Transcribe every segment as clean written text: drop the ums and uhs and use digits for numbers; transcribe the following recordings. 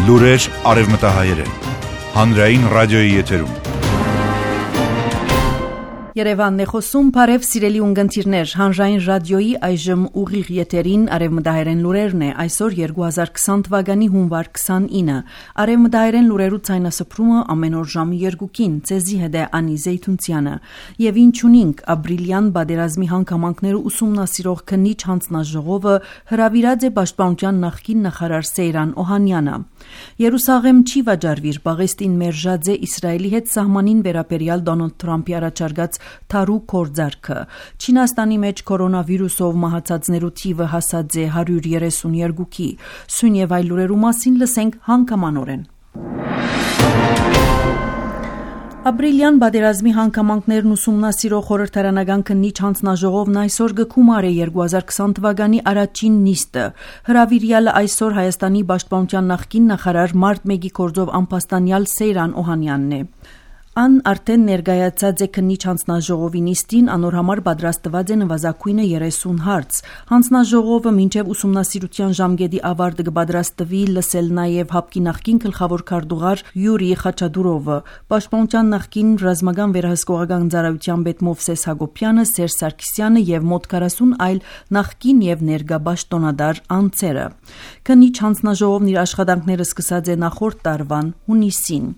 Լուրեր արևմտահայերեն, հանրային ռադիոյի եթերում։ Երևանն է խոսում, բարև սիրելի ունգընտիրներ, հանրային ռադիոյի այժմ ուղիղ եթերին արևմտահայերեն լուրերն է, այսօր 2020 թվականի հունվար 29, արևմտահայերեն լուրերու ցայնասփռումը ամեն օր ժամի 2-ին, ցեզի հետ է Անի Զեյթունցյանը, եւ ինչ ունինք, ապրիլյան բادرազմի հանգամանքները ուսումնասիրող քննիչ հանձնաժողովը հրավիրած է պաշտպանության նախկին նախարար Սեյրան Օհանյանը։ Երուսաղեմ չի վաճառվիր, Պաղեստին մերժած է Իսրայելի հետ սահմանին վերաբերյալ Դոնալդ Թրամփի առաջարկած թարու կորձարկը։ Չինաստանի մեջ կորոնավիրուսով մահացածներու թիվը հասած է 132-ի։ Սույն եւ այլ լուրերու մասին լսենք հանգամանորեն։ Ապրիլյան բادرազմի հանգամանքներն ուսումնասիրող խորհրդարանական քննիչ հանձնաժողովն այսօր գկումար է 2020 թվականի առաջին նիստը։ Հրավիրյալը այսօր Հայաստանի պաշտպանության նախկին նախարար մարտ 1-ի կորձով անփաստանյալ Սեյրան Օհանյանն է։ Ան արդեն ներկայացած է քննիչ հանձնաժողովի նիստին, անոր համար պատրաստված է նվազագույնը 30 հարց։ Հանձնաժողովը մինչև ուսումնասիրության ժամկետի ավարտը կպատրաստվի լսել նաև ՀԱՊԿ-ի նախկին գլխավոր քարտուղար Յուրի Խաչատուրովը, պաշտպանության նախկին ռազմական վերահսկողական ծառայության պետ Մովսես Հակոբյանը, Սերժ Սարգսյանը եւ մոտ 40 այլ նախկին եւ ներկա պաշտոնադար անձերը։ Քննիչ հանձնաժողովն իր աշխատանքները սկսած է նախորդ տարվան հունիսին։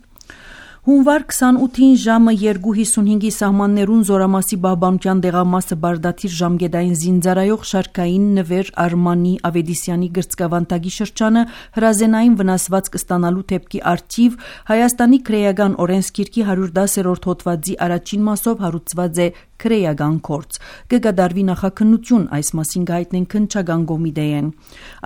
Հունվար 28-ին ժամը 2:55-ի սահմաններուն Զորամասի պահպանության դեղամասը բարդաթիր ժամկետային զինծառայող շարքային նվեր Արմանի Ավետիսյանի գրծկավանդակի շրջանը հրազենային վնասվածք ստանալու դեպքի առթիվ Հայաստանի քրեական օրենսգիրքի 110-րդ հոդվածի առաջին մասով հարուցված է քրեական գործ։ Կկատարվի նախաքննություն, այս մասին գայտնեն քննչական կոմիտեին։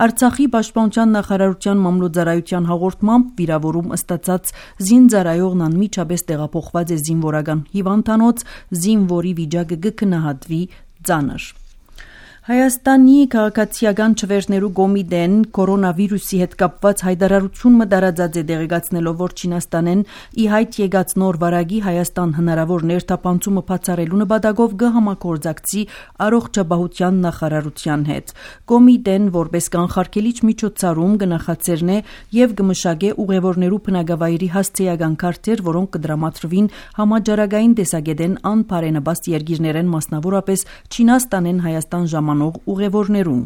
Արցախի պաշտպանության նախարարության մամլոյցարայության հաղորդմամբ վիրավորում ստացած զինծառայողն անմիջապես տեղափոխված է զինվորական հիվանդանոց, զինվորի վիճակը կքննահատվի ծանր։ Հայաստանի քաղաքացիական չվերներու կոմիտեն կորոնավիրուսի հետ կապված հայտարարություն մտարածած է դեղեկացնելով, որ Չինաստանեն ի հայտ եկած նոր վարակի Հայաստան հնարավոր ներթափանցումը բացառելու նպատակով կհամագործակցի առողջապահության նախարարության հետ։ Կոմիտեն որպես կանխարգելիչ միջոցառում կնախաձեռնե եւ կմշակե ուղևորներու բնակավայրի հասցեական քարտեր, որոնք կդրամատրվին համաճարակային տեսակետեն անբարենպաստ երկիրներեն, մասնավորապես Չինաստանեն Հայաստան ժամանող ուղևորներուն։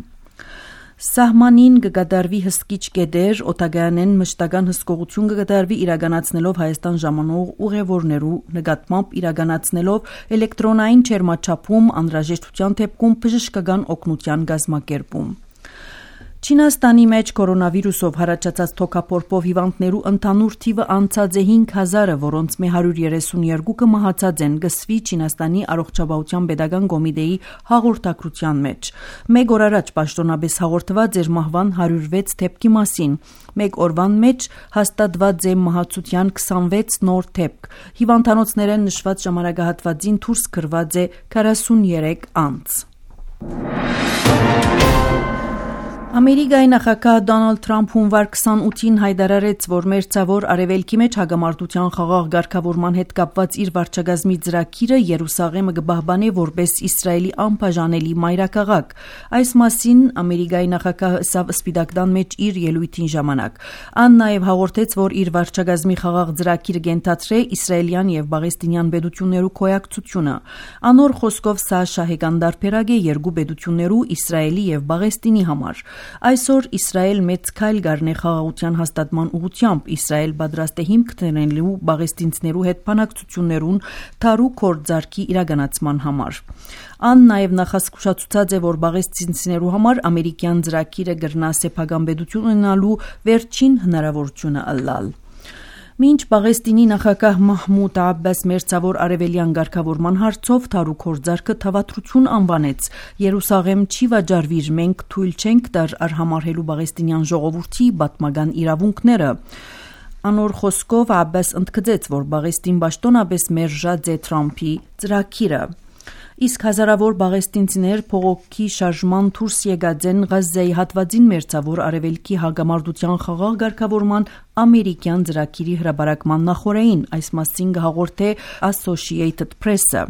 Սահմանին կկատարվի հսկիչ կետեր, օտագայանեն մշտական հսկողություն կկատարվի իրականացնելով Հայաստան ժամանող ուղևորներու նկատմամբ իրականացնելով էլեկտրոնային չերմաչափում, անհրաժեշտության դեպքում բժշկական օգնության կազմակերպում։ Չինաստանի մեջ կորոնավիրուսով հարաճած թոքափորփով հիվանդներու ընդհանուր թիվը անցած է 5000-ը, որոնց 132-ը մահացած են, գսվի Չինաստանի առողջապահության պետական կոմիտեի հաղորդակցության մեջ։ Մեկ օր առաջ պաշտոնապես հաղորդված էր մահվան 106 դեպքի մասին։ Մեկ օրվան մեջ հաստատված է մահացության 26 նոր դեպք։ Հիվանդանոցներեն նշված ժամանակահատվածին դուրս գրված է 43 անձ։ Ամերիկայի նախագահ Դոնալդ Թրամփ հունվար 28-ին հայտարարեց, որ մերձավոր արևելքի մեջ հագամարտության խաղաղ ղեկավարման հետ կապված իր վարչակազմի ծրագիրը Երուսաղեմը կպահպանե որպես Իսրայելի անբաժանելի մայրաքաղաք։ Այս մասին Ամերիկայի նախագահը ասավ Սպիտակ տան մեջ իր ելույթին ժամանակ։ Ան նաև հաղորդեց, որ իր վարչակազմի խաղաղ ծրագիրը կենթացրե իսրայելյան եւ պաղեստինյան պետություններու կոյակցությունը։ Անոր խոսքով սա շահեկան դարբերակ է երկու պետություններու Իսրայելի եւ Պաղեստինի համար։ Այսօր Իսրայել մեծ քայլ կառնե խաղաղության հաստատման ուղղությամբ։ Իսրայել պատրաստ է հիմք դնելու պաղեստինցիներու հետ բանակցություններուն թարու կորձարկի իրականացման համար։ Ան նաև նախազգուշացուցած է, որ պաղեստինցիներու համար ամերիկյան ծրագիրը կրնա սեփական պետություն ունենալու վերջին հնարավորությունը ըլլալ։ Մինչ Պաղեստինի նախագահ Մահմուդ Աբբաս մերձավոր արևելյան ղեկավարման հարցով թարու կորձարկը թավատրություն անվանեց։ Երուսաղեմ չի վաճառվիր, մենք թույլ չենք տար արհամարհելու պաղեստինյան ժողովրդի պատմական իրավունքները։ Անոր խոսքով Աբբաս ընդգծեց, որ Պաղեստին պաշտոնապես մերժած է Թրամփի ծրագիրը։ Իսկ հազարավոր պաղեստինցիներ փողոքի շարժման դուրս եկած են Գազայի հատվածին մերձավոր արևելքի հագամարտության խաղաղ ղեկավարման ամերիկյան ծրագիրի հրաբարակման նախօրեին, այս մասին հաղորդ է Associated Press-ը։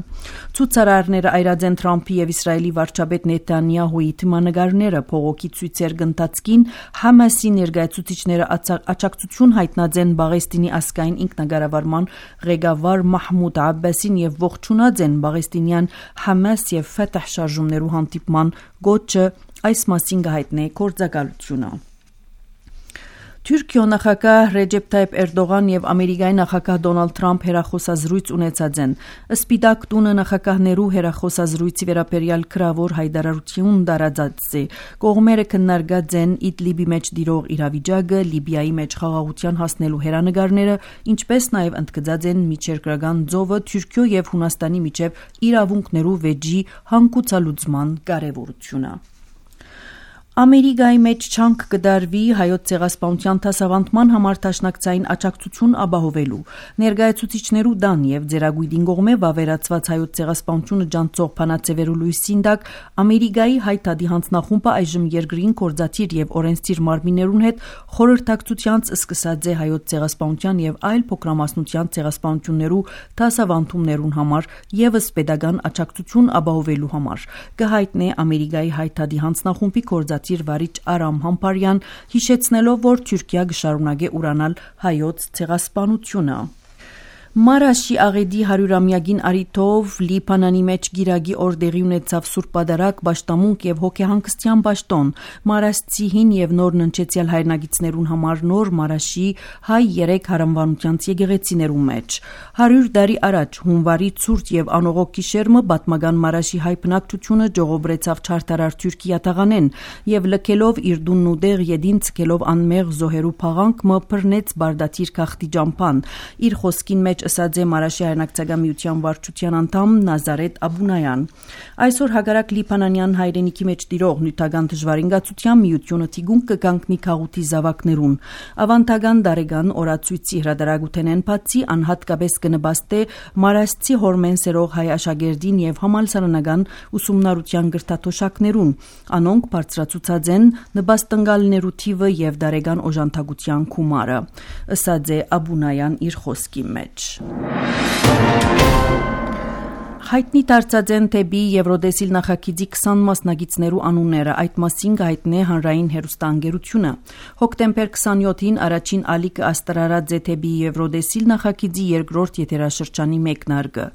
Ցուցարարները այրաձեն Թրամփի եւ Իսրայելի վարչապետ Նեթանյահուի թիմանագարները փողոքի ցույցեր գնտածքին Համասի ներկայացուցիչները աջակցություն հայտնած են Բաղեստինի ազգային ինքնագարավարման ղեկավար Մահմուդ Աբբասին եւ ողջունած են Բաղեստինյան Համաս եւ Ֆաթահ շարժումներու հանդիպման գոչը, այս մասին հայտնի գործակալությունը։ Թուրքիո նախագահ Ռեջեփ Թայիփ Էրդողան եւ Ամերիկայի նախագահ Դոնալդ Թրամփ հերախոսազրույց ունեցած են։ Սպիտակ տունը նախագահներու հերախոսազրույցի վերաբերյալ քրավոր հայտարարություն դարածած է։ Կողմերը քննարկած են Իդլիբի մեջ դիրող իրավիճակը, Լիբիայի մեջ խաղաղության հասնելու հերանեկարները, ինչպես նաեւ ընդգծած են միջերկրական ծովը Թուրքիո եւ Հունաստանի միջև իրավունքներու վեճի հանգուցալուծման կարեւորությունը։ Ամերիկայի մեջ չանք կդարվի հայոց ցեղասպանության դասավանդման համար դաշնակցային աջակցություն ապահովելու ներկայացուցիչներու դան եւ ձերագույդին կողմէ վավերացված հայոց ցեղասպանությունը ջանցող փանացեվերու լույսին տակ Ամերիկայի հայտարարի հանձնախումբը այժմ երկրին կորզաթիր եւ օրենսդիր մարմիններուն հետ խորհրդակցությանց սկսած է հայոց ցեղասպանության եւ այլ փոքրամասնության ցեղասպանություններու դասավանդումներուն համար եւս pedagogan աջակցություն ապահովելու համար կհայտնի Ամերիկայի հայտարարի հանձնախումբի կորզաթիր վարիչ Արամ Համբարյան հիշեցնելով, որ Թուրքիա կշարունակի ուրանալ հայոց ցեղասպանությունը։ Մարաշի աղեդի 100-ամյակին արիթով Լիբանանի մեջ գիրագի օրդերի ունեցավ Սուրբ Պատարագ, Պաշտամունք եւ հոգեհանգստյան պաշտոն Մարաշցի հին եւ նոր ննչեցյալ հայրենագիցներուն համար նոր Մարաշի հայ 3 հարանվանությանց եկեղեցիներու մեջ 100 տարի առաջ հունվարի ցուրտ եւ անողոք գիշերմը պատմական Մարաշի հայ բնակչությունը ժողովրեցավ չարտարար Թուրքիա տաղանեն եւ լքելով իր դունն ու դեղ յեդին ցկելով անմեղ զոհերու փաղանք մը բռնեց բարդաթիր քաղտի ջամփան իր խոսքին մեջ ըսած է Մարաշի հայրենակցական միության վարչության անդամ Նազարեթ Աբունայան։ Այսօր հակառակ Լիբանանյան հայրենիքի մեջ տիրող նյութական դժվարինգացության միությունը թիգուն կգանքնի քաղուտի զավակներուն։ Ավանդական դարեգան օրացույցի հրադարագութենեն բացի անհատկապես կնպաստե Մարաշցի հորմեն սերող հայ աշակերտին եւ համալսարանական ուսումնառության գրթաթոշակներուն։ Անոնք բարձրացուցած են նպաստընկալներու թիվը եւ դարեգան օժանդակության գումարը, ըսած է Աբունայան իր խոսքի մեջ։ Հայտնի դարձած են թեպի Եվրոդեսիլ նախագիծի 20 մասնագետներու անունները, այդ մասին հայտնի հանրային հեռուստաընկերությունը։ Հոկտեմբեր 27-ին առաջին ալիքը աստրարած է թեպի Եվրոդեսիլ նախագիծի երկրորդ եթերաշրջանի մեկնարկը։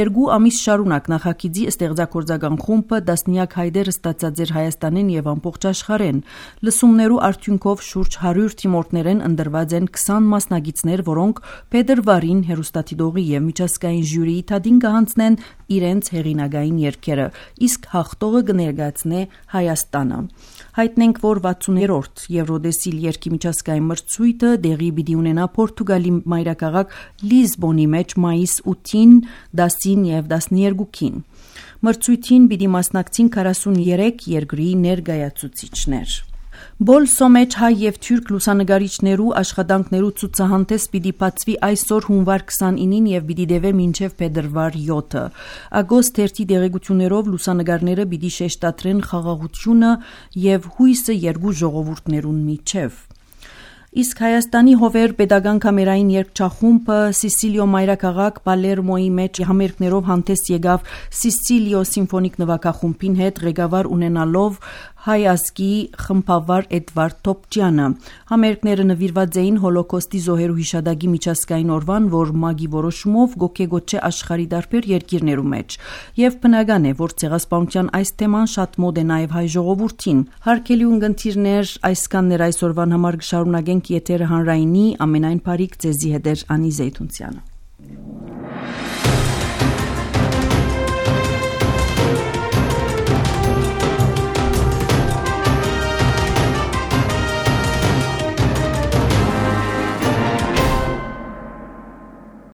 2 ամիս շարունակ նախագիծի ստեղծագործական խումբը դասնյակ հայտեր ստացած էր Հայաստանին եւ ամբողջ աշխարհեն։ Լսումներու արդյունքով շուրջ 100 թիմորդներեն ընտրված են 20 մասնագետներ, որոնք փետրվարին հեռուստադիտողի եւ միջազգային ժյուրիի թադին կհանձնեն իրենց հեղինակային երգերը, իսկ հաղթողը կներկայացնե Հայաստանը։ Հայտնենք, որ 60-րդ Եվրոդեսիլ երգի միջազգային մրցույթը դեղի պիտի ունենա Պորտուգալի մայրաքաղաք Լիզբոնի մեջ մայիս 8-ին, 10-ին եւ 12-ին։ Մրցույթին պիտի մասնակցին 43 երկրի ներկայացուցիչներ։ Բոլսո մեջ հայ եւ թուրք լուսանգարիչներու աշխատանքներու ցուցահանդես պիտի բացվի այսօր հունվար 29-ին եւ պիտի դեվե մինչեւ փետրվար 7-ը։ Ագոստ 1-ի դեղեցություններով լուսանգարները պիտի շեշտադրեն խաղաղությունը եւ հույսը երկու ժողովուրդներուն միջև։ Իսկ Հայաստանի հովեր pedagogan կամերային երգչախումբը Սիսիլիո մայրաքաղաք Պալերմոյի մեջ համերգներով հանդես եկավ Սիսիլիո սիմֆոնիկ նվագախումբին հետ ղեկավար ունենալով հայ ազգի խմբավար Էդվարդ Թոփճյանը։ Համերգները նվիրված էին Հոլոկոստի զոհերու հիշադակի միջազգային օրվան, որ ՄԱԳ-ի որոշումով գոկեգոչե աշխարհի տարբեր երկիրներու մեջ։ Եվ բնական է, որ ցեղասպանության այս թեման շատ մոտ է նաև հայ ժողովրդին։ Հարգելի ունգընտիրներ, այսքանն էր այսօրվան համար կշարունակենք եթերը հանրայինի ամենայն բարիք ձեզի հետ Անի Զեյթունցյանը։